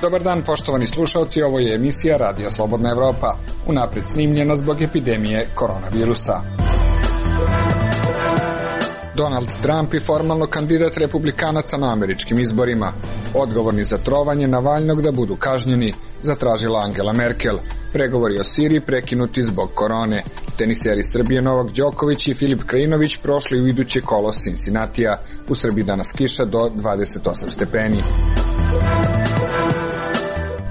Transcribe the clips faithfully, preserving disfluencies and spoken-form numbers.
Dobar dan, poštovani slušalci, ovo je emisija Radija Slobodna Evropa, unapred snimljena zbog epidemije koronavirusa. Donald Trump je formalno kandidat republikanaca na američkim izborima. Odgovorni za trovanje Navalnog da budu kažnjeni, zatražila Angela Merkel. Pregovori o Siriji prekinuti zbog korone. Teniseri Srbije Novak Đoković i Filip Krajinović prošli u iduće kolo Cincinnatija. U Srbiji danas kiša do dvadeset osam stepeni.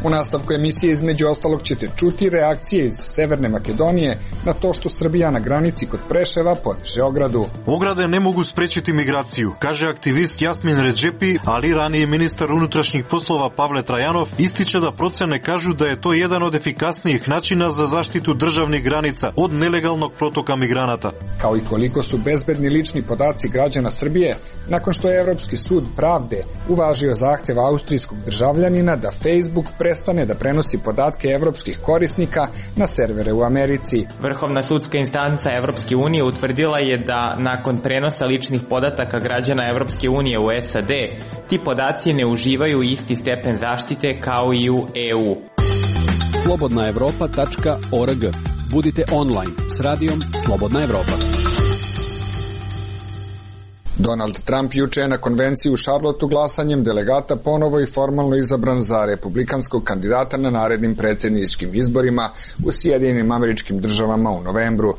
U nastavku emisije između ostalog ćete čuti reakcije iz Severne Makedonije na to što Srbija na granici kod Preševa podiže ogradu. Ograde ne mogu sprečiti migraciju, kaže aktivist Jasmin Redžepi, ali ranije ministar unutrašnjih poslova Pavle Trajanov ističe da procene kažu da je to jedan od efikasnijih načina za zaštitu državnih granica od nelegalnog protoka migranata. Kao i koliko su bezbedni lični podaci građana Srbije, nakon što je Evropski sud pravde uvažio zahtev austrijskog državljanina da Facebook prestane da prenosi podatke evropskih korisnika na servere u Americi. Vrhovna sudska instanca Evropske unije utvrdila je da nakon prenosa ličnih podataka građana Evropske unije u S A D, ti podaci ne uživaju isti stepen zaštite kao i u E U. slobodna evropa tačka org. Budite online s radijom Slobodna Evropa. Donald Trump juče je na konvenciji u Charlotteu glasanjem delegata ponovo i formalno izabran za republikanskog kandidata na narednim predsjedničkim izborima u Sjedinjenim Američkim Državama u novembru.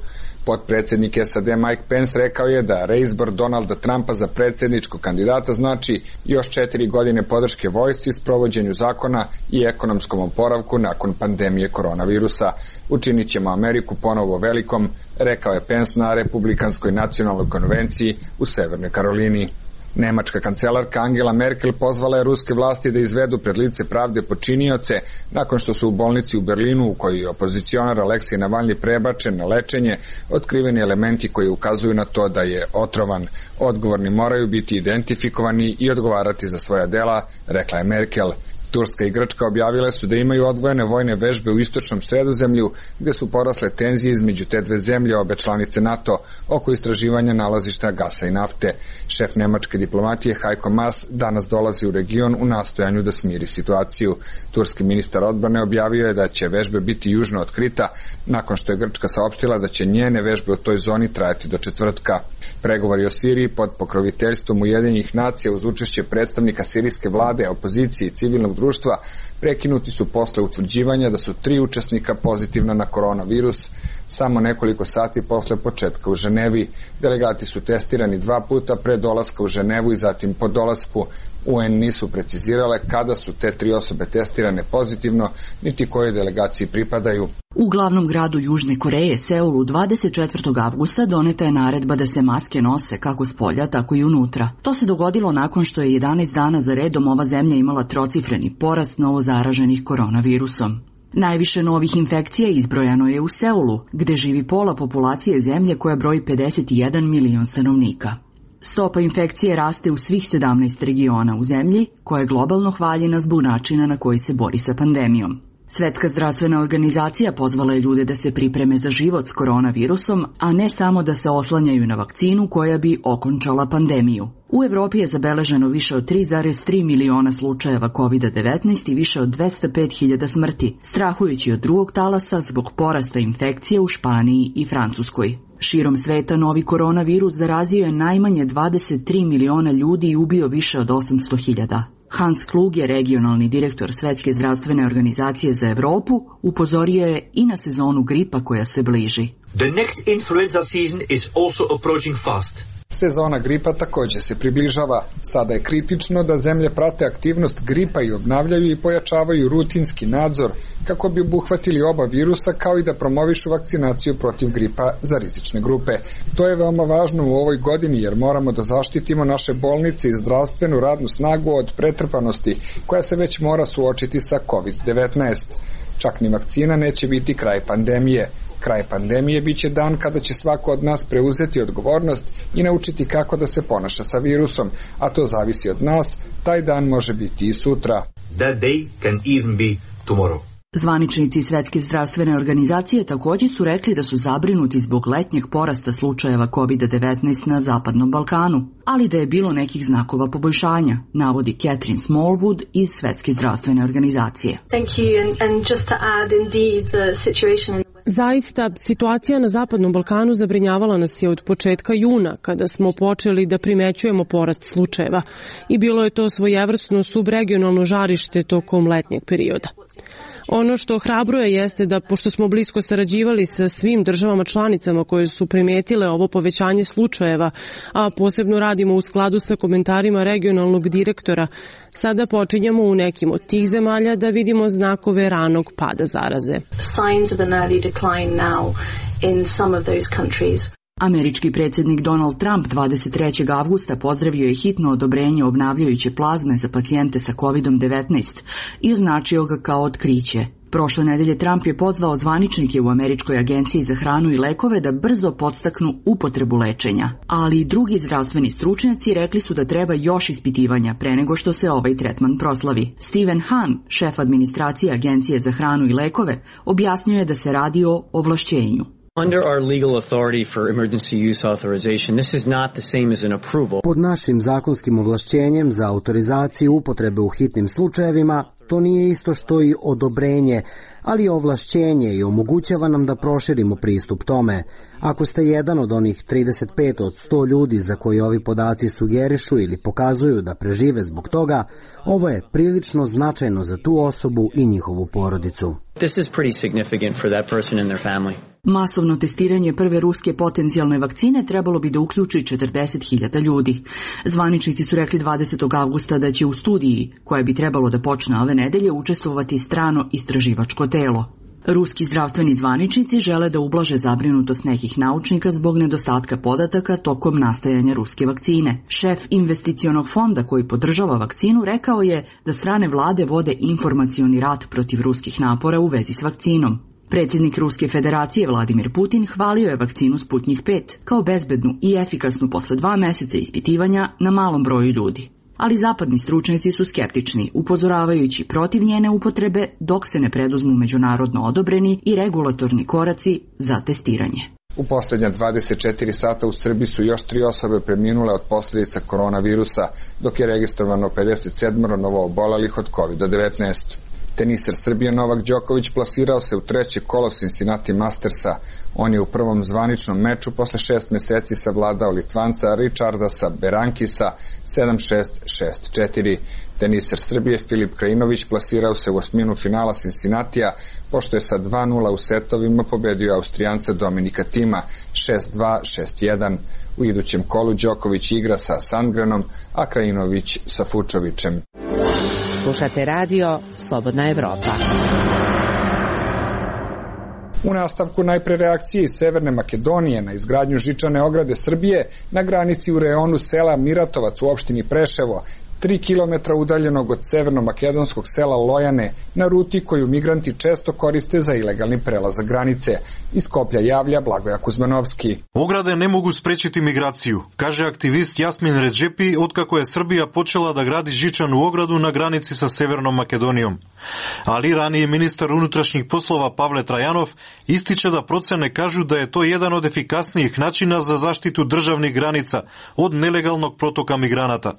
Potpredsjednik S A D Mike Pence rekao je da reizbor Donalda Trumpa za predsjedničkog kandidata znači još četiri godine podrške vojsci, sprovođenju zakona i ekonomskom oporavku nakon pandemije koronavirusa. Učinit ćemo Ameriku ponovo velikom, rekao je Pence na Republikanskoj nacionalnoj konvenciji u Severnoj Karolini. Nemačka kancelarka Angela Merkel pozvala je ruske vlasti da izvedu pred lice pravde počinioce nakon što su u bolnici u Berlinu, u kojoj je opozicionar Aleksej Navalni prebačen na lečenje, otkriveni elementi koji ukazuju na to da je otrovan. Odgovorni moraju biti identifikovani i odgovarati za svoja dela, rekla je Merkel. Turska i Grčka objavile su da imaju odvojene vojne vežbe u istočnom Sredozemlju, gde su porasle tenzije između te dve zemlje, obe članice NATO, oko istraživanja nalazišta gasa i nafte. Šef nemačke diplomatije Heiko Maas danas dolazi u region u nastojanju da smiri situaciju. Turski ministar odbrane objavio je da će vežbe biti južno od Krita, nakon što je Grčka saopštila da će njene vežbe u toj zoni trajati do četvrtka. Pregovori o Siriji pod pokroviteljstvom Ujedinjenih nacija uz učešće predstavnika sirijske vlade, opozicije i civilnog društva prekinuti su posle utvrđivanja da su tri učesnika pozitivna na koronavirus samo nekoliko sati posle početka u Ženevi. Delegati su testirani dva puta pre dolaska u Ženevu i zatim po dolasku. U N nisu precizirale kada su te tri osobe testirane pozitivno, niti kojoj delegaciji pripadaju. U glavnom gradu Južne Koreje, Seulu, dvadeset četvrtog avgusta doneta je naredba da se maske nose kako spolja, tako i unutra. To se dogodilo nakon što je jedanaest dana za redom ova zemlja imala trocifreni porast novozaraženih koronavirusom. Najviše novih infekcija izbrojano je u Seulu, gde živi pola populacije zemlje koja broji pedeset jedan milion stanovnika. Stopa infekcije raste u svih sedamnaest regiona u zemlji, koja je globalno hvaljena zbog načina na koji se bori sa pandemijom. Svetska zdravstvena organizacija pozvala je ljude da se pripreme za život s koronavirusom, a ne samo da se oslanjaju na vakcinu koja bi okončala pandemiju. U Evropi je zabeleženo više od tri zarez tri miliona slučajeva kovid devetnaest i više od dvesta pet hiljada smrti, strahujući od drugog talasa zbog porasta infekcije u Španiji i Francuskoj. Širom sveta novi koronavirus zarazio je najmanje dvadeset tri miliona ljudi i ubio više od osamsto hiljada. Hans Kluge, regionalni direktor Svetske zdravstvene organizacije za Evropu, upozorio je i na sezonu gripa koja se bliži. The next influenza season is also approaching fast. Sezona gripa također se približava. Sada je kritično da zemlje prate aktivnost gripa i obnavljaju i pojačavaju rutinski nadzor kako bi obuhvatili oba virusa, kao i da promovišu vakcinaciju protiv gripa za rizične grupe. To je veoma važno u ovoj godini jer moramo da zaštitimo naše bolnice i zdravstvenu radnu snagu od pretrpanosti koja se već mora suočiti sa kovid devetnaest. Čak ni vakcina neće biti kraj pandemije. Kraj pandemije biće dan kada će svako od nas preuzeti odgovornost i naučiti kako da se ponaša sa virusom, a to zavisi od nas. Taj dan može biti i sutra. That day can even be tomorrow. Zvaničnici Svetske zdravstvene organizacije također su rekli da su zabrinuti zbog letnjeg porasta slučajeva kovid devetnaest na Zapadnom Balkanu, ali da je bilo nekih znakova poboljšanja, navodi Catherine Smallwood iz Svetske zdravstvene organizacije. Thank you. And, and just to add, indeed, the situation... Zaista, situacija na Zapadnom Balkanu zabrinjavala nas je od početka juna, kada smo počeli da primećujemo porast slučajeva i bilo je to svojevrsno subregionalno žarište tokom letnjeg perioda. Ono što ohrabruje jeste da, pošto smo blisko sarađivali sa svim državama članicama koje su primetile ovo povećanje slučajeva, a posebno radimo u skladu sa komentarima regionalnog direktora, sada počinjemo u nekim od tih zemalja da vidimo znakove ranog pada zaraze. Signs of an early decline now in some of those countries. Američki predsjednik Donald Trump dvadeset trećeg avgusta pozdravio je hitno odobrenje obnavljajuće plazme za pacijente sa kovid devetnaest i označio ga kao otkriće. Prošle nedelje Trump je pozvao zvaničnike u Američkoj agenciji za hranu i lekove da brzo podstaknu upotrebu lečenja, ali i drugi zdravstveni stručnjaci rekli su da treba još ispitivanja pre nego što se ovaj tretman proslavi. Steven Hahn, šef administracije Agencije za hranu i lekove, objasnio je da se radi o ovlašćenju. Under our legal authority for emergency use authorization, this is not the same as an approval. Pod našim zakonskim ovlašćenjem za autorizaciju upotrebe u hitnim slučajevima, to nije isto što i odobrenje, ali je ovlašćenje i omogućava nam da proširimo pristup tome. Ako ste jedan od onih trideset pet od sto ljudi za koji ovi podaci sugerišu ili pokazuju da prežive zbog toga, ovo je prilično značajno za tu osobu i njihovu porodicu. This is pretty significant for that person and their family. Masovno testiranje prve ruske potencijalne vakcine trebalo bi da uključi četrdeset hiljada ljudi. Zvaničnici su rekli dvadesetog avgusta da će u studiji, koja bi trebalo da počne ove nedelje, učestvovati strano istraživačko telo. Ruski zdravstveni zvaničnici žele da ublaže zabrinutost nekih naučnika zbog nedostatka podataka tokom nastajanja ruske vakcine. Šef investicionog fonda koji podržava vakcinu rekao je da strane vlade vode informacioni rat protiv ruskih napora u vezi s vakcinom. Predsjednik Ruske federacije Vladimir Putin hvalio je vakcinu Sputnjik pet kao bezbednu i efikasnu posle dva meseca ispitivanja na malom broju ljudi. Ali zapadni stručnjaci su skeptični, upozoravajući protiv njene upotrebe dok se ne preduzmu međunarodno odobreni i regulatorni koraci za testiranje. U posljednja dvadeset četiri sata u Srbiji su još tri osobe preminule od posljedica koronavirusa, dok je registrovano pedeset sedam novoobolelih od kovid devetnaest. Teniser Srbije Novak Đoković plasirao se u treće kolo Cincinnati Mastersa. On je u prvom zvaničnom meču posle šest meseci savladao Litvanca Richardasa Berankisa sedam šest šest četiri. Teniser Srbije Filip Krajinović plasirao se u osminu finala Cincinnatija, pošto je sa dva nula u setovima pobedio Austrijanca Dominika Tima šest dva šest jedan. U idućem kolu Đoković igra sa Sandgrenom, a Krajinović sa Fučovićem. Slušate radio Slobodna Evropa. U nastavku najpre reakcije iz Severne Makedonije na izgradnju žičane ograde Srbije na granici u reonu sela Miratovac u opštini Preševo, tri kilometra udaljenog od severno-makedonskog sela Lojane, na ruti koju migranti često koriste za ilegalni prelazak granice. Iz Skoplja javlja Blagoja Kuzmanovski. Ograde ne mogu sprečiti migraciju, kaže aktivist Jasmin Redžepi otkako je Srbija počela da gradi žičanu ogradu na granici sa Severnom Makedonijom. Ali raniji ministar unutrašnjih poslova Pavle Trajanov ističe da procene kažu da je to jedan od efikasnijih načina za zaštitu državnih granica od nelegalnog protoka migranata.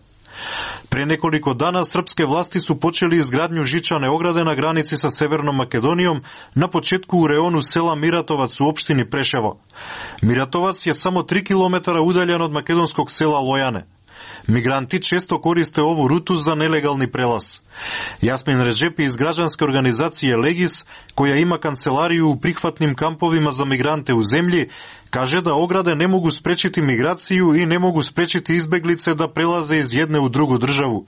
Pre nekoliko dana srpske vlasti su počeli izgradnju žičane ograde na granici sa Severnom Makedonijom na početku u reonu sela Miratovac u opštini Preševo. Miratovac je samo tri kilometra udaljen od makedonskog sela Lojane. Migranti često koriste ovu rutu za nelegalni prelaz. Jasmin Redžepi iz građanske organizacije Legis, koja ima kancelariju u prihvatnim kampovima za migrante u zemlji, kaže da ograde ne mogu sprečiti migraciju i ne mogu sprečiti izbeglice da prelaze iz jedne u drugu državu,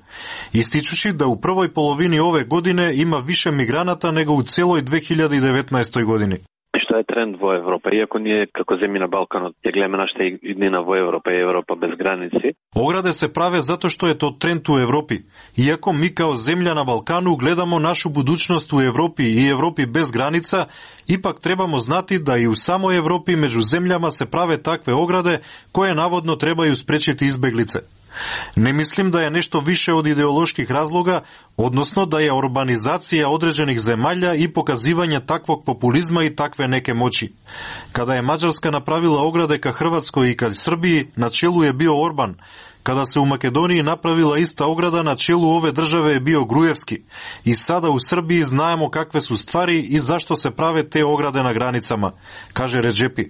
ističući da u prvoj polovini ove godine ima više migranata nego u celoj dve hiljade devetnaestoj godini. Što je trend vo Evropa, iako nije kako zemlji na Balkanu, je glema našta idnina vo Evropa i Evropa bez granici. Ograde se prave zato što je to trend u Evropi. Iako mi kao zemlja na Balkanu gledamo našu budućnost u Evropi i Evropi bez granica, ipak trebamo znati da i u samoj Evropi među zemljama se prave takve ograde koje navodno trebaju sprečiti izbeglice. Ne mislim da je nešto više od ideoloških razloga, odnosno da je urbanizacija određenih zemalja i pokazivanje takvog populizma i takve neke moći. Kada je Mađarska napravila ograde ka Hrvatskoj i ka Srbiji, na čelu je bio Orban. Kada se u Makedoniji napravila ista ograda, na čelu ove države je bio Grujevski. I sada u Srbiji znamo kakve su stvari i zašto se prave te ograde na granicama, kaže Redžepi.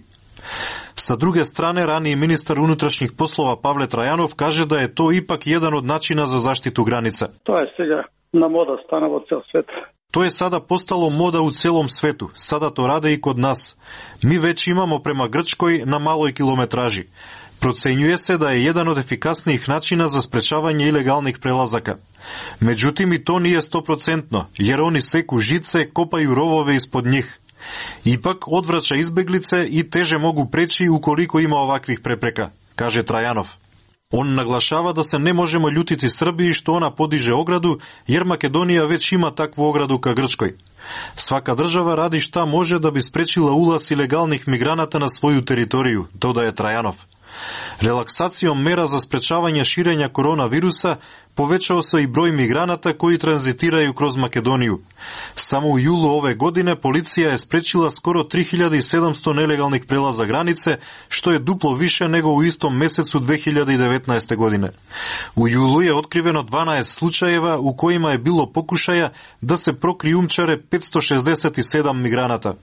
Sa druge strane, raniji ministar unutrašnjih poslova Pavle Trajanov kaže da je to ipak jedan od načina za zaštitu granica. To je сега na moda stanova ceo svet. To je sada postalo moda u celom svetu. Sada to rade i kod nas. Mi već imamo prema Grčkoj na maloj kilometraži. Procenjuje se da je jedan od efikasnijih načina za sprečavanje ilegalnih prelazaka. Međutim, i to nije stoprocentno, jer oni seku žice, kopaju rovove ispod njih. Ipak odvraća izbeglice i teže mogu preći ukoliko ima ovakvih prepreka, kaže Trajanov. On naglašava da se ne možemo ljutiti Srbiji što ona podiže ogradu, jer Makedonija već ima takvu ogradu ka Grčkoj. Svaka država radi šta može da bi sprečila ulaz ilegalnih migranata na svoju teritoriju, dodaje Trajanov. Relaksacijom mera za sprečavanje širenja koronavirusa povećao se i broj migranata koji tranzitiraju kroz Makedoniju. Samo u julu ove godine policija je sprečila skoro tri hiljade sedamsto nelegalnih prelaza granice, što je duplo više nego u istom mesecu dve hiljade devetnaeste. godine. U julu je otkriveno dvanaest slučajeva u kojima je bilo pokušaja da se prokrijumčare petsto šezdeset sedam migranata.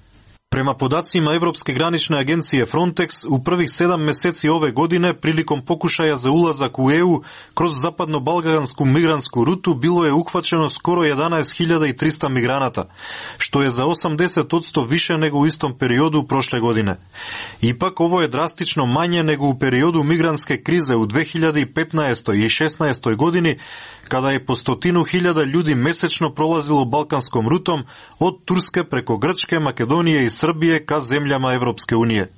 Prema podacima Evropske granične agencije Frontex, u prvih sedam meseci ove godine prilikom pokušaja za ulazak u E U kroz zapadno-balkansku migrantsku rutu bilo je uhvaćeno skoro jedanaest hiljada trista migranata, što je za osamdeset posto više nego u istom periodu prošle godine. Ipak ovo je drastično manje nego u periodu migrantske krize u dve hiljade petnaestoj i šesnaestoj. godini, kada je po stotinu hiljada ljudi mesečno prolazilo balkanskom rutom od Turske preko Grčke, Makedonije i Srbije ka zemljama Evropske unije.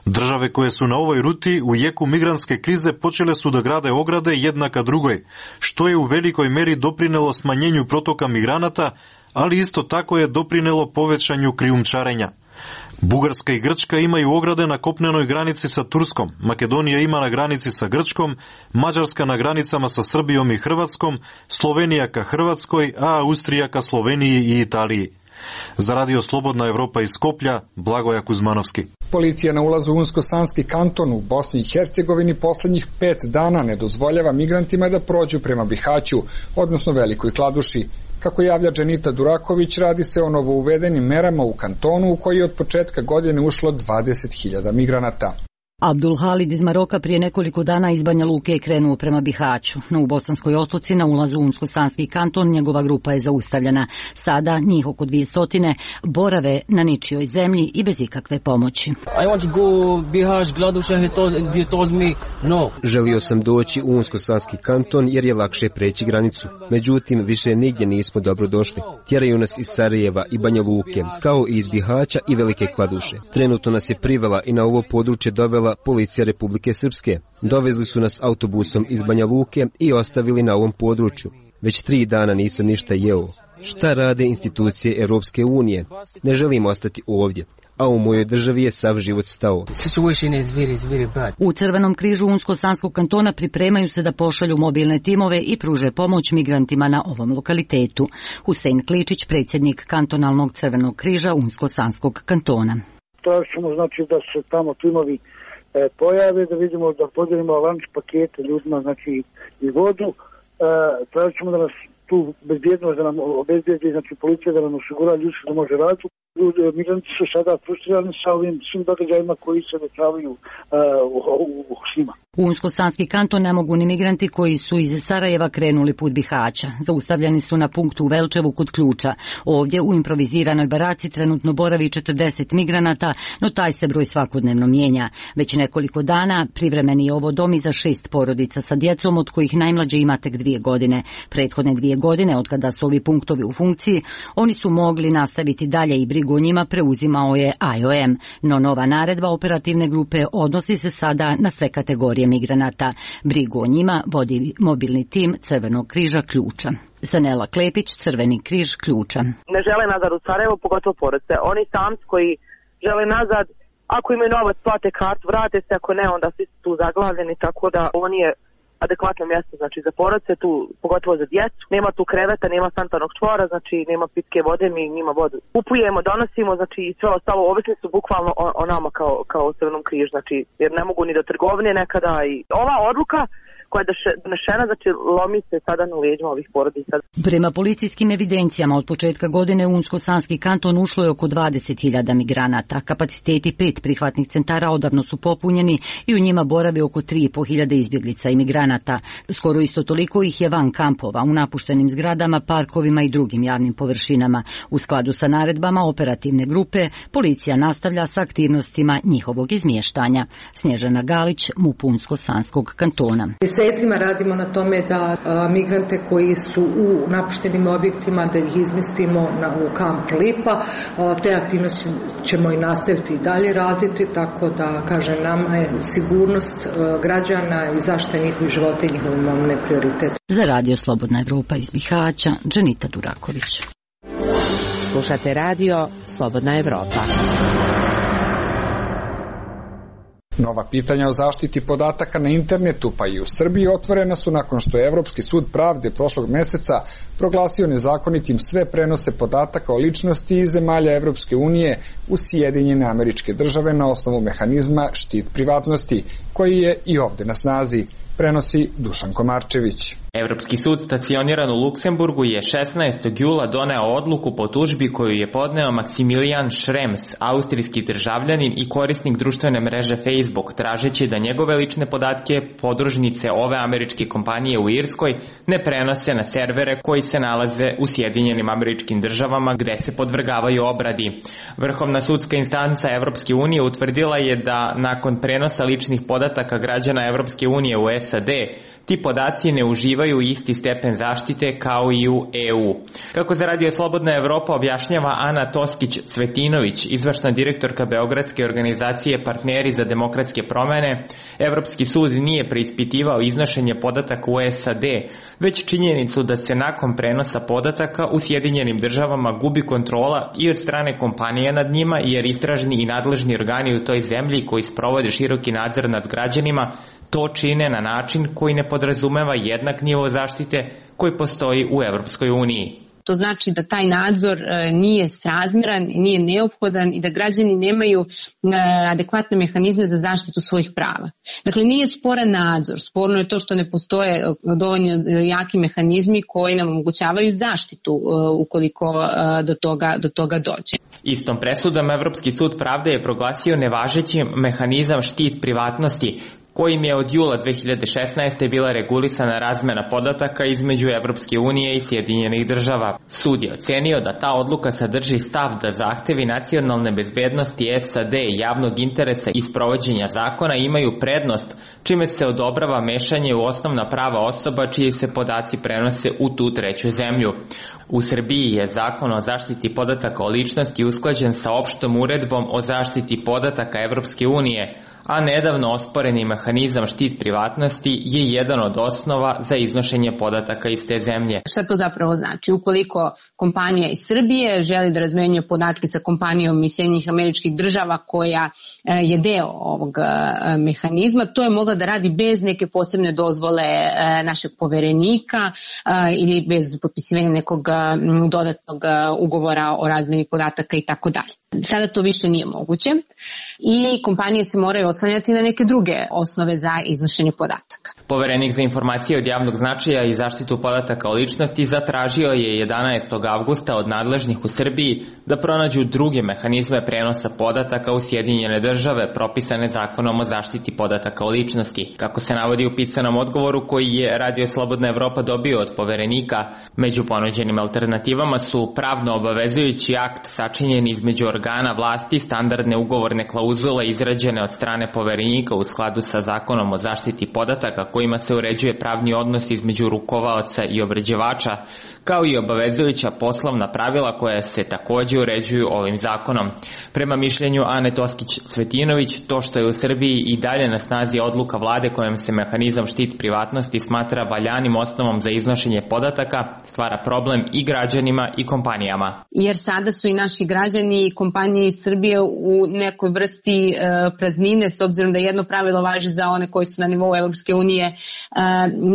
Države koje su na ovoj ruti u jeku migrantske krize počele su da grade ograde jedna ka drugoj, što je u velikoj meri doprinelo smanjenju protoka migranata, ali isto tako je doprinelo povećanju krijumčarenja. Bugarska i Grčka imaju ograde na kopnenoj granici sa Turskom, Makedonija ima na granici sa Grčkom, Mađarska na granicama sa Srbijom i Hrvatskom, Slovenija ka Hrvatskoj, a Austrija ka Sloveniji i Italiji. Za Radio Slobodna Evropa iz Skoplja, Blagoja Kuzmanovski. Policija na ulazu u Unsko-Sanski kanton u Bosni i Hercegovini poslednjih pet dana ne dozvoljava migrantima da prođu prema Bihaću, odnosno Velikoj Kladuši. Kako javlja Dženita Duraković, radi se o novouvedenim merama u kantonu u koji je od početka godine ušlo dvadeset hiljada migranata. Abdul Halid iz Maroka prije nekoliko dana iz Banja Luke je krenuo prema Bihaću. No u Bosanskoj Otoci na ulazu u Unsko-Sanski kanton njegova grupa je zaustavljena. Sada njih oko dvije stotine borave na ničijoj zemlji i bez ikakve pomoći. I want to go Bihać, Kladuša, he told, he told me no. Želio sam doći u Unsko-Sanski kanton jer je lakše preći granicu. Međutim, više nigdje nismo dobro došli. Tjeraju nas iz Sarajeva i Banja Luke, kao i iz Bihaća i Velike Kladuše. Trenutno nas je privela i na ovo područje dovela policija Republike Srpske. Dovezli su nas autobusom iz Banja Luke i ostavili na ovom području. Već tri dana nisam ništa jeo. Šta rade institucije Europske unije? Ne želim ostati ovdje, a u mojoj državi je sav život stao. U Crvenom križu Unsko-Sanskog kantona pripremaju se da pošalju mobilne timove i pruže pomoć migrantima na ovom lokalitetu. Husein Kličić, predsjednik kantonalnog Crvenog križa Unsko-Sanskog kantona. Tražimo znači da se tamo timovi e, pojave, da vidimo da podijelimo lanč pakete ljudima, znači i vodu. E, tražimo da nas tu bezbjednost, da nam obezbijedi, znači policija da nam osigura ljudi da može raditi. Migranti su sada frustrirani sa ovim svim događajima koji se dešavaju uh, s njima. U Unsko-Sanski kanton ne mogu ni migranti koji su iz Sarajeva krenuli put Bihaća. Zaustavljeni su na punktu u Velčevu kod Ključa. Ovdje u improviziranoj baraci trenutno boravi četrdeset migranata, no taj se broj svakodnevno mijenja. Već nekoliko dana privremeni je ovo dom i za šest porodica sa djecom, od kojih najmlađe ima tek dvije godine. Prethodne dvije godine, od kada su ovi punktovi u funkciji, oni su mogli nastaviti dalje i brigu o njima preuzimao je I O M, no nova naredba operativne grupe odnosi se sada na sve kategorije migranata. Brigu o njima vodi mobilni tim Crvenog križa Ključa. Sanela Klepić, Crveni križ Ključa. Ne žele nazad u Sarajevo, pogotovo porodice. Oni samci koji žele nazad, ako imaju novac, plate kartu, vrate se, ako ne, onda svi su tu zaglavljeni, tako da ovo nije adekvatno mjesto znači za porodice, tu pogotovo za djecu. Nema tu kreveta, nema sanitarnog čvora, znači nema pitke vode, mi njima vodu kupujemo, donosimo, znači i sve ostalo ovisni su bukvalno o, o nama kao kao Crvenom križu, znači jer ne mogu ni do trgovine nekada i ova odluka koja je donešena, znači lomi se sada na leđima ovih porodica. Prema policijskim evidencijama od početka godine u Unsko-Sanski kanton ušlo je oko dvadeset hiljada migranata. Kapaciteti pet prihvatnih centara odavno su popunjeni i u njima boravi oko tri i po hiljade izbjeglica i migranata. Skoro isto toliko ih je van kampova, u napuštenim zgradama, parkovima i drugim javnim površinama. U skladu sa naredbama operativne grupe, policija nastavlja sa aktivnostima njihovog izmještanja. Snježana Galić, MUP Unsko-Sanskog kantona. Mjesecima radimo na tome da a, migrante koji su u napuštenim objektima da ih izmestimo na, u kamp Lipa. A, te aktivnosti ćemo i nastaviti i dalje raditi, tako da, kažem, nama je sigurnost a, građana i zaštita njihovih života i njihovog imovine prioritet. Za Radio Slobodna Evropa iz Bihaća, Dženita Duraković. Slušate Radio Slobodna Evropa. Nova pitanja o zaštiti podataka na internetu pa i u Srbiji otvorena su nakon što je Evropski sud pravde prošlog meseca proglasio nezakonitim sve prenose podataka o ličnosti iz zemalja Evropske unije u Sjedinjene Američke Države na osnovu mehanizma štit privatnosti, koji je i ovde na snazi, prenosi Dušan Komarčević. Evropski sud stacioniran u Luksemburgu je šesnaestog jula doneo odluku po tužbi koju je podneo Maksimilijan Šrems, austrijski državljanin i korisnik društvene mreže Facebook, tražeći da njegove lične podatke podružnice ove američke kompanije u Irskoj ne prenose na servere koji se nalaze u Sjedinjenim Američkim Državama gde se podvrgavaju obradi. Vrhovna sudska instanca Evropske unije utvrdila je da nakon prenosa ličnih podataka građana Evropske unije u S A D, ti podaci ne uživaju isti stepen zaštite kao i u E U. Kako za Radio Slobodna Evropa objašnjava Ana Toskić-Cvetinović, izvršna direktorka Beogradske organizacije Partneri za demokratske promene, Evropski sud nije preispitivao iznošenje podataka u S A D, već činjenicu da se nakon prenosa podataka u Sjedinjenim Državama gubi kontrola i od strane kompanije nad njima, jer istražni i nadležni organi u toj zemlji koji sprovode široki nadzor nad građanima to čine na način koji ne podrazumeva jednak nivo zaštite koji postoji u Evropskoj uniji. To znači da taj nadzor nije srazmjeran, nije neophodan i da građani nemaju adekvatne mehanizme za zaštitu svojih prava. Dakle, nije sporan nadzor, sporno je to što ne postoje dovoljno jaki mehanizmi koji nam omogućavaju zaštitu ukoliko do toga, do toga dođe. Istom presudom Evropski sud pravde je proglasio nevažećim mehanizam štit privatnosti, kojim je od jula dve hiljade šesnaeste. bila regulisana razmena podataka između Evropske unije i Sjedinjenih Država. Sud je ocenio da ta odluka sadrži stav da zahtevi nacionalne bezbednosti S A D i javnog interesa i sprovođenja zakona imaju prednost, čime se odobrava mešanje u osnovna prava osoba čiji se podaci prenose u tu treću zemlju. U Srbiji je zakon o zaštiti podataka o ličnosti usklađen sa opštom uredbom o zaštiti podataka Evropske unije, a nedavno osporeni mehanizam štit privatnosti je jedan od osnova za iznošenje podataka iz te zemlje. Šta to zapravo znači? Ukoliko kompanija iz Srbije želi da razmenjuje podatke sa kompanijom iz Sjedinjenih Američkih Država koja je deo ovog mehanizma, to je mogla da radi bez neke posebne dozvole našeg poverenika ili bez potpisivanja nekog dodatnog ugovora o razmeni podataka i tako dalje. Sada to više nije moguće i kompanije se moraju oslanjati na neke druge osnove za iznošenje podataka. Poverenik za informacije od javnog značaja i zaštitu podataka o ličnosti zatražio je jedanaestog avgusta od nadležnih u Srbiji da pronađu druge mehanizme prenosa podataka u Sjedinjene Države propisane zakonom o zaštiti podataka o ličnosti. Kako se navodi u pisanom odgovoru koji je Radio Slobodna Evropa dobio od poverenika, među ponuđenim alternativama su pravno obavezujući akt sačinjen između organa vlasti, standardne ugovorne klauzule izrađene od strane poverenika u skladu sa zakonom o zaštiti podataka kojima se uređuje pravni odnos između rukovaoca i obrađivača, kao i obavezujuća poslovna pravila koja se takođe uređuju ovim zakonom. Prema mišljenju Ane Toskić-Cvetinović, to što je u Srbiji i dalje na snazi odluka vlade kojom se mehanizam štit privatnosti smatra valjanim osnovom za iznošenje podataka, stvara problem i građanima i kompanijama. Jer sada su i naši građani i kompanije iz Srbije u nekoj vrsti vrsti praznine, s obzirom da jedno pravilo važi za one koji su na nivou Evropske unije.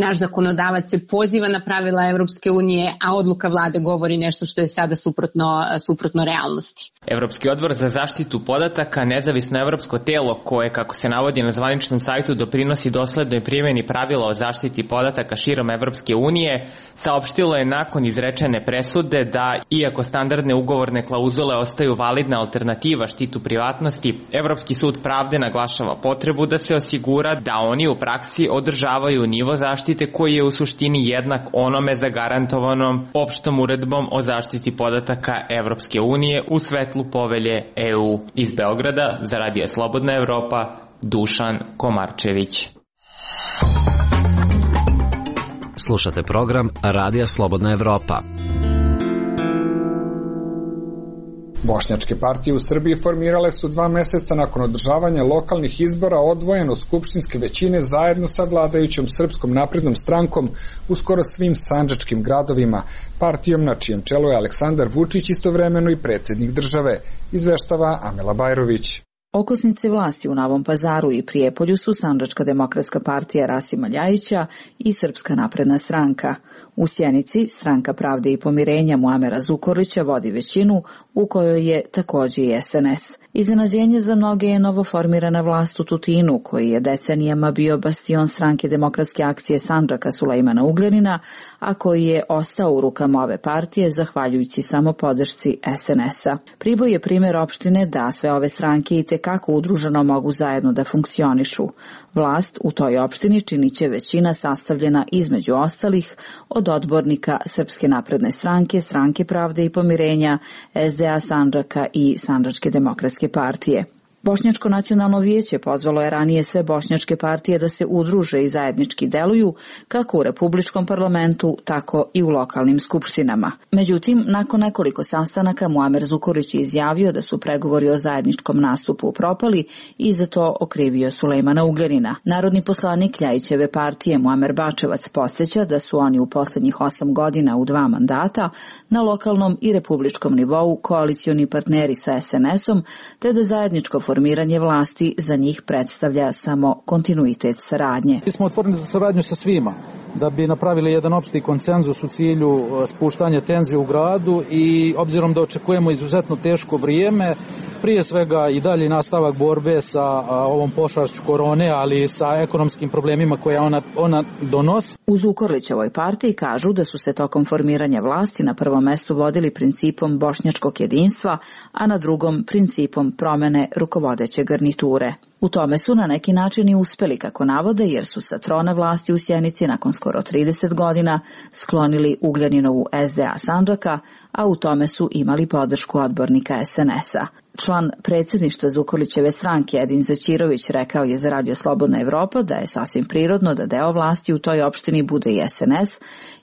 Naš zakonodavac se poziva na pravila Evropske unije, a odluka vlade govori nešto što je sada suprotno, suprotno realnosti. Evropski odbor za zaštitu podataka, nezavisno evropsko telo koje, kako se navodi na zvaničnom sajtu, doprinosi doslednoj primjeni pravila o zaštiti podataka širom Evropske unije, saopštilo je nakon izrečene presude da, iako standardne ugovorne klauzule ostaju validna alternativa štitu privatnosti, Evropski sud pravde naglašava potrebu da se osigura da oni u praksi održavaju nivo zaštite koji je u suštini jednak onome zagarantovanom opštom uredbom o zaštiti podataka Evropske unije u svetlu povelje E U. Iz Beograda za Radio Slobodna Evropa, Dušan Komarčević. Slušate program Radija Slobodna Evropa. Bošnjačke partije u Srbiji formirale su dva meseca nakon održavanja lokalnih izbora odvojeno skupštinske većine zajedno sa vladajućom Srpskom naprednom strankom u skoro svim sandžačkim gradovima, partijom na čijem čelu je Aleksandar Vučić, istovremeno i predsjednik države, izveštava Amela Bajrović. Okosnice vlasti u Novom Pazaru i Prijepolju su Sandžačka demokratska partija Rasima Ljajića i Srpska napredna stranka. U Sjenici Stranka pravde i pomirenja Muamera Zukorlića vodi većinu, u kojoj je takođe i S N S. Iznenađenje za mnoge je novoformirana vlast u Tutinu, koji je decenijama bio bastion Stranke demokratske akcije Sandžaka Sulejmana Ugljanina, a koji je ostao u rukama ove partije zahvaljujući samo podršci S N S-a. Priboj je primjer opštine da sve ove stranke i tekako udruženo mogu zajedno da funkcionišu. Vlast u toj opštini činiće većina sastavljena između ostalih od odbornika Srpske napredne stranke, Stranke pravde i pomirenja, S D A Sandžaka i Sandžačke demokratske partije. Bošnjačko nacionalno vijeće pozvalo je ranije sve bošnjačke partije da se udruže i zajednički deluju kako u Republičkom parlamentu, tako i u lokalnim skupštinama. Međutim, nakon nekoliko sastanaka Muamer Zukorlić je izjavio da su pregovori o zajedničkom nastupu propali i za to okrivio Sulejmana Ugljanina. Narodni poslanik Ljajićeve partije Muamer Bačevac podsjeća da su oni u poslednjih osam godina u dva mandata na lokalnom i republičkom nivou koalicioni partneri sa S N S-om, te da zajedničko formiranje vlasti za njih predstavlja samo kontinuitet saradnje. Mi smo otvoreni za saradnju sa svima, da bi napravili jedan opšti konsenzus u cilju spuštanja tenzije u gradu i obzirom da očekujemo izuzetno teško vrijeme, prije svega i dalje nastavak borbe sa ovom pošašću korone, ali i sa ekonomskim problemima koje ona, ona donosi. U Zukorlićevoj partiji kažu da su se tokom formiranja vlasti na prvom mestu vodili principom bošnjačkog jedinstva, a na drugom principom promene rukovodeće garniture. U tome su na neki način i uspeli, kako navode, jer su sa trona vlasti u Sjenici nakon skoro trideset godina sklonili Ugljaninovu S D A Sandžaka, a u tome su imali podršku odbornika S N S-a. Član predsjedništva Zukorlićeve stranke Edin Zaćirović rekao je za Radio Slobodna Evropa da je sasvim prirodno da deo vlasti u toj opštini bude i S N S,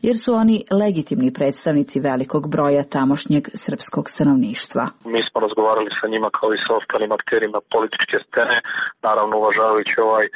jer su oni legitimni predstavnici velikog broja tamošnjeg srpskog stanovništva. Mi smo razgovarali sa njima kao i sa ostalim akterima političke scene, naravno uvažavajući ovaj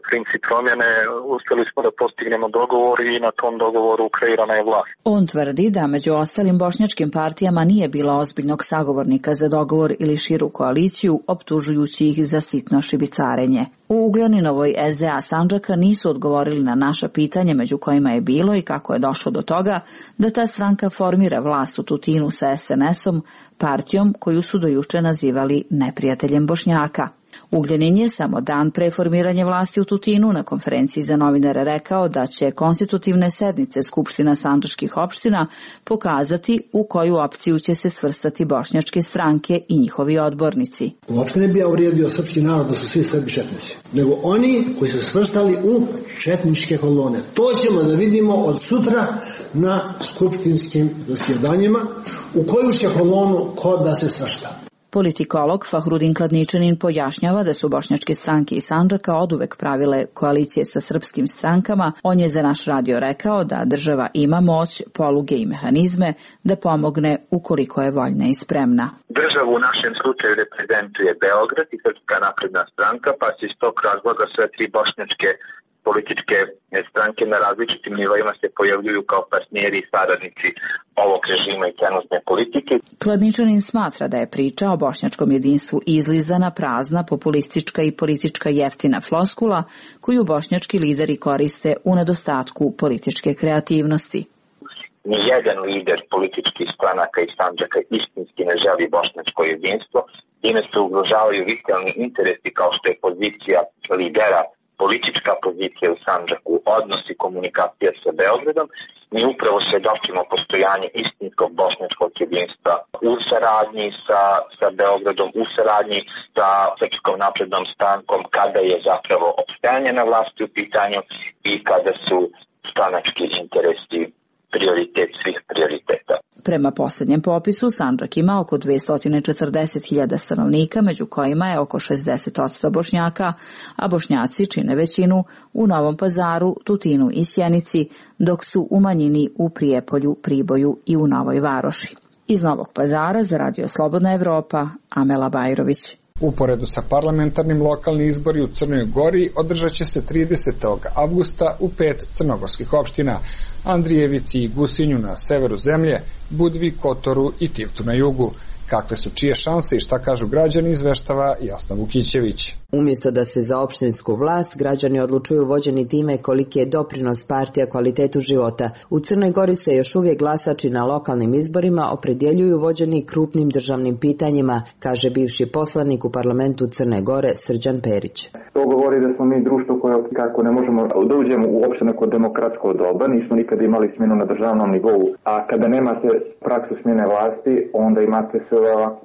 princip promjene, uspjeli smo da postignemo dogovor i na tom dogovoru kreirana je vlast. On tvrdi da među ostalim bošnjačkim partijama nije bilo ozbiljnog sagovornika za dogovor ili širu koaliciju, optužujući ih za sitno šibicarenje. U Ugljaninovoj S D A Sandžaka nisu odgovorili na naša pitanja, među kojima je bilo i kako je došlo do toga da ta stranka formira vlast u Tutinu sa S N S-om, partijom koju su do juče nazivali neprijateljem Bošnjaka. Ugljanin je samo dan pre formiranja vlasti u Tutinu na konferenciji za novinare rekao da će konstitutivne sednice Skupština sandžačkih opština pokazati u koju opciju će se svrstati bošnjačke stranke i njihovi odbornici. Uopšte ne bi ja uvrijedio srpski narod da su svi Srbi četnici, nego oni koji su svrstali u četničke kolone. To ćemo da vidimo od sutra na skupštinskim zasjedanjima u koju će kolonu ko da se svrsta. Politikolog Fahrudin Kladničanin pojašnjava da su bošnjačke stranke iz Sandžaka oduvek pravile koalicije sa srpskim strankama. On je za naš radio rekao da država ima moć, poluge i mehanizme da pomogne ukoliko je voljna i spremna. Državu u našem slučaju reprezentuje Beograd i Srpska napredna stranka, pa se iz tog razloga sve tri bošnjačke političke stranke na različitim nivoima se pojavljuju kao partneri i saradnici ovog režima i trenutne politike. Kladničanin smatra da je priča o bošnjačkom jedinstvu izlizana, prazna, populistička i politička jeftina floskula koju bošnjački lideri koriste u nedostatku političke kreativnosti. Nijedan lider političkih stranaka iz Sandžaka istinski ne želi bošnjačko jedinstvo, time se ugrožavaju vitalni interesi kao što je pozicija lidera, politička pozicija u Sandžaku, odnosi komunikacija sa Beogradom. Mi upravo svedočimo postojanje istinskog bošnjačkog jedinstva u saradnji sa, sa Beogradom, u saradnji sa Srpskom naprednom strankom, kada je zapravo opstajanje na vlasti u pitanju i kada su stranački interesi prioritet svih prioriteta. Prema posljednjem popisu, Sandžak ima oko dvesta četrdeset hiljada stanovnika, među kojima je oko šezdeset posto Bošnjaka, a Bošnjaci čine većinu u Novom Pazaru, Tutinu i Sjenici, dok su u manjini u Prijepolju, Priboju i u Novoj Varoši. Iz Novog Pazara za Radio Slobodna Evropa, Amela Bajrović. Uporedu sa parlamentarnim lokalni izbori u Crnoj Gori održat će se tridesetog avgusta u pet crnogorskih opština: Andrijevici i Gusinju na severu zemlje, Budvi, Kotoru i Tivtu na jugu. Kakve su čije šanse i šta kažu građani, izveštava Jasna Vukićević. Umjesto da se za opštinsku vlast građani odlučuju vođeni time koliki je doprinos partija kvalitetu života, u Crnoj Gori se još uvijek glasači na lokalnim izborima opredjeljuju vođeni krupnim državnim pitanjima, kaže bivši poslanik u parlamentu Crne Gore Srđan Perić. To govori da smo mi društvo koje kako ne možemo da uđemo uopšte neko demokratsko doba, nismo nikada imali smjenu na državnom nivou, a kada nemate praksu smjene vlasti, onda imate se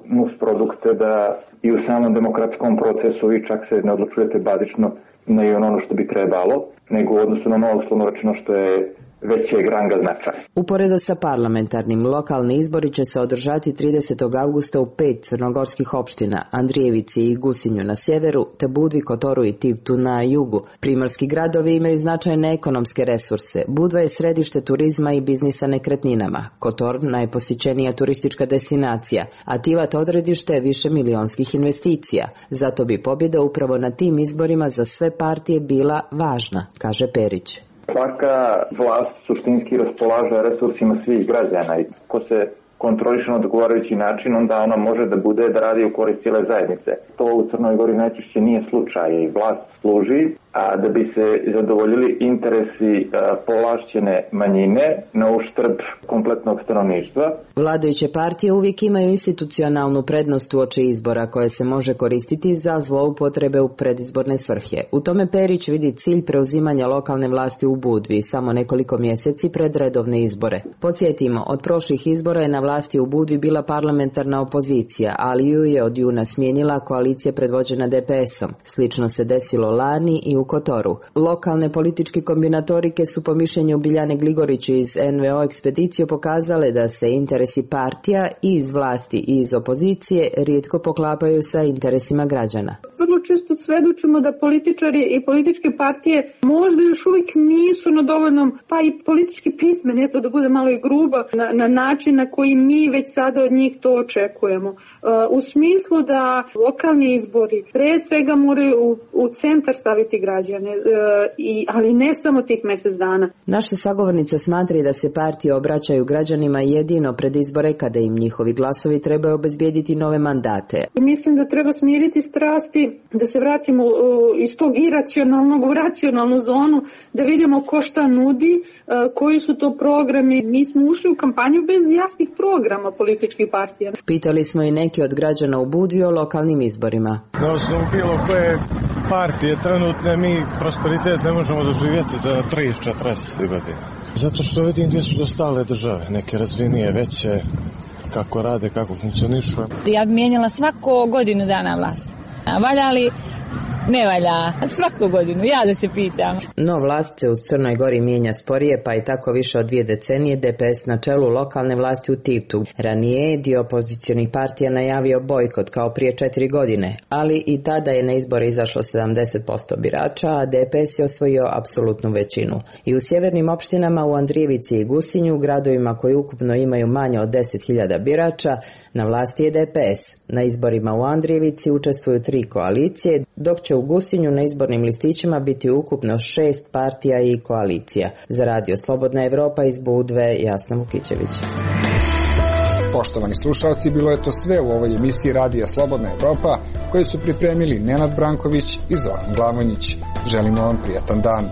nus produkte da i u samom demokratskom procesu vi čak se ne odlučujete bazično na i ono što bi trebalo, nego u odnosu na ono uslovno rečeno što je većeg ranga značaja. Uporedo sa parlamentarnim, lokalni izbori će se održati tridesetog avgusta u pet crnogorskih opština: Andrijevici i Gusinju na sjeveru, te Budvi, Kotoru i Tivtu na jugu. Primorski gradovi imaju značajne ekonomske resurse. Budva je središte turizma i biznisa nekretninama, Kotor najposjećenija turistička destinacija, a Tivat odredište više milionskih investicija. Zato bi pobjeda upravo na tim izborima za sve partije bila važna, kaže Perić. Svaka vlast suštinski raspolaže resursima svih građana i ko se kontroliše na odgovarajući način, onda ona može da bude da radi u korist cijele zajednice. To u Crnoj Gori najčešće nije slučaj i vlast služi a da bi se zadovoljili interesi a, povlašćene manjine na uštrb kompletnog stanovništva. Vladajuće partije uvijek imaju institucionalnu prednost uoči izbora koje se može koristiti za zloupotrebe u predizborne svrhe. U tome Perić vidi cilj preuzimanja lokalne vlasti u Budvi samo nekoliko mjeseci pred redovne izbore. Podsjetimo, od prošlih izbora je na vlasti u Budvi bila parlamentarna opozicija, ali ju je od juna smijenila koalicija predvođena D P S-om. Slično se desilo lani i u Kotoru. Lokalne političke kombinatorike su po mišljenju Biljane Gligorić iz N V O ekspedicije pokazale da se interesi partija i iz vlasti i iz opozicije rijetko poklapaju sa interesima građana. Vrlo često svedočimo da političari i političke partije možda još uvijek nisu na dovoljnom, pa i politički pismeni, eto da bude malo i gruba, na, na način na koji mi već sada od njih to očekujemo. Uh, u smislu da lokalni izbori pre svega moraju u, u centar staviti građane, uh, i, ali ne samo tih mjesec dana. Naša sagovornica smatra da se partije obraćaju građanima jedino pred izbore kada im njihovi glasovi trebaju obezbijediti nove mandate. Mislim da treba smiriti strasti, da se vratimo uh, iz tog iracionalnog u racionalnu zonu, da vidimo ko šta nudi, uh, koji su to programi. Mi smo ušli u kampanju bez jasnih programa političkih partija. Pitali smo i neki od građana u Budvi o lokalnim izborima. Na osnovu bilo koje partije trenutne mi prosperitet ne možemo doživjeti za trideset četrdeset godina. Zato što vidim gdje su dostale države, neke razvinije, veće, kako rade, kako funkcionišu. Ja bi mijenjala svako godinu dana vlast. Valja li? Ne valja. Svaku godinu, ja da se pitam. No vlast se u Crnoj Gori mijenja sporije, pa i tako više od dvije decenije D P S na čelu lokalne vlasti u Tivtu. Ranije je dio opozicionih partija najavio bojkot kao prije četiri godine, ali i tada je na izbore izašlo sedamdeset posto birača, a D P S je osvojio apsolutnu većinu. I u sjevernim opštinama u Andrijevici i Gusinju, gradovima koji ukupno imaju manje od deset hiljada birača, na vlasti je D P S. Na izborima u Andrijevici učestvuju tri koalicije, dok će će u Gusinju na izbornim listićima biti ukupno šest partija i koalicija. Za Radio Slobodna Evropa iz Budve, Jasna Vukićević. Poštovani slušalci, bilo je to sve u ovoj emisiji Radija Slobodna Evropa, koju su pripremili Nenad Branković i Zoran Glavonjić. Želimo vam prijatan dan.